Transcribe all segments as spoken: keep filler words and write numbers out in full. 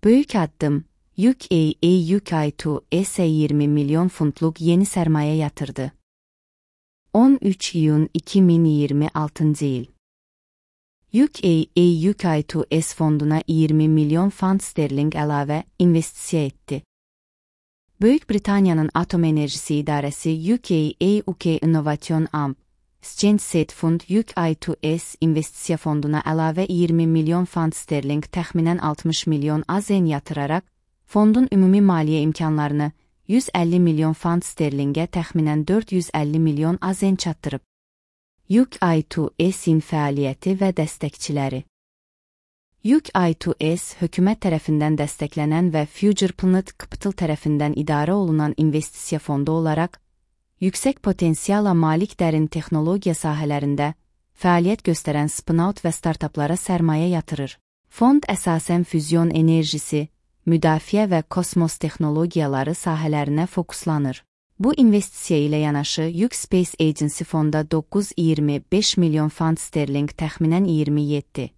Böyük addım, U K A U K iki S yirmi milyon funtluq yeni sermaye yatırdı. on üç iyun iki bin iyirmi altıncı yıl. U K A U K iki S fonduna iyirmi milyon fund sterling əlavə investisiya etdi. Böyük Britaniyanın Atom Enerjisi İdarəsi U K A U K Innovation A M Exchange Said Fund U K iki S investisiya fonduna əlavə iyirmi milyon fund sterling təxminən altmış milyon AZN yatıraraq, fondun ümumi maliyyə imkanlarını yüz əlli milyon fund sterlingə təxminən dörd yüz əlli milyon AZN çatdırıb. U K iki S'in fəaliyyəti və dəstəkçiləri. U K iki S hökumət tərəfindən dəstəklənən və Future Planet Capital tərəfindən idarə olunan investisiya fondu olaraq, yüksək potensiala malik dərin texnologiya sahələrində fəaliyyət göstərən spin-out və startaplara sərmayə yatırır. Fond əsasən füzyon enerjisi, müdafiə və kosmos texnologiyaları sahələrinə fokuslanır. Bu investisiya ilə yanaşı U K Space Agency fonda doqquz iyirmi beş milyon fund sterling təxminən iyirmi yeddi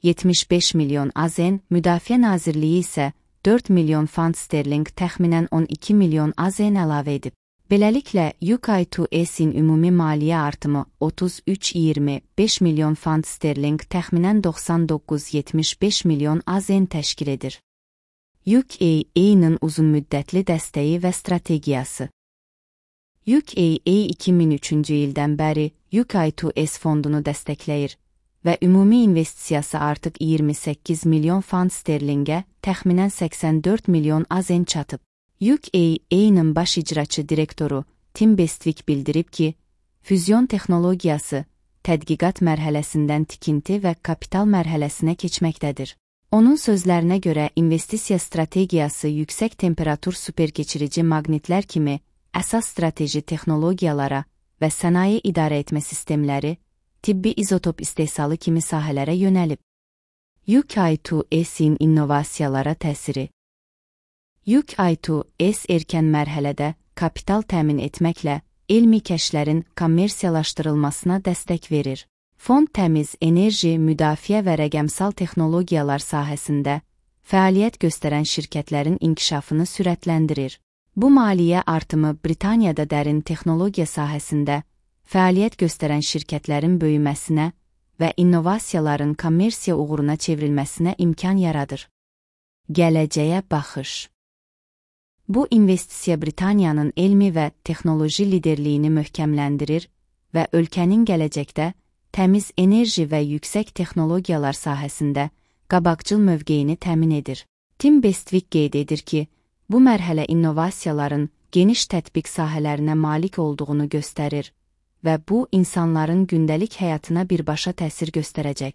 yetmiş beş milyon AZN, Müdafiə Nazirliyi isə dörd milyon fund sterling təxminən on iki milyon AZN əlavə edib. Beləliklə, U K iki S'in ümumi maliyyə artımı otuz üç iyirmi beş milyon fund sterling təxminən doxsan doqquz yetmiş beş milyon AZN təşkil edir. U K A-nın uzunmüddətli dəstəyi və strategiyası. U K A iki min üçüncü ildən bəri U K iki S fondunu dəstəkləyir və ümumi investisiyası artıq iyirmi səkkiz milyon fund sterlingə, təxminən səksən dörd milyon AZN çatıb. U K A-nın baş icraçı direktoru Tim Bestwick bildirib ki, füzyon texnologiyası tədqiqat mərhələsindən tikinti və kapital mərhələsinə keçməkdədir. Onun sözlərinə görə investisiya strategiyası yüksək temperatur superkeçirici maqnitlər kimi əsas strateji texnologiyalara və sənaye idarə etmə sistemləri, tibbi izotop istehsalı kimi sahələrə yönəlib. U K iki S'in innovasiyalara təsiri. U K iki S erkən mərhələdə kapital təmin etməklə elmi kəşflərin kommersiyalaşdırılmasına dəstək verir. Fond təmiz enerji, müdafiə və rəqəmsal texnologiyalar sahəsində fəaliyyət göstərən şirkətlərin inkişafını sürətləndirir. Bu maliyyə artımı Britaniyada dərin texnologiya sahəsində fəaliyyət göstərən şirkətlərin böyüməsinə və innovasiyaların kommersiya uğuruna çevrilməsinə imkan yaradır. Gələcəyə baxış. Bu investisiya Britaniyanın elmi və texnoloji liderliyini möhkəmləndirir və ölkənin gələcəkdə təmiz enerji və yüksək texnologiyalar sahəsində qabaqcıl mövqeyini təmin edir. Tim Bestwick qeyd edir ki, bu mərhələ innovasiyaların geniş tətbiq sahələrinə malik olduğunu göstərir və bu insanların gündəlik həyatına birbaşa təsir göstərəcək.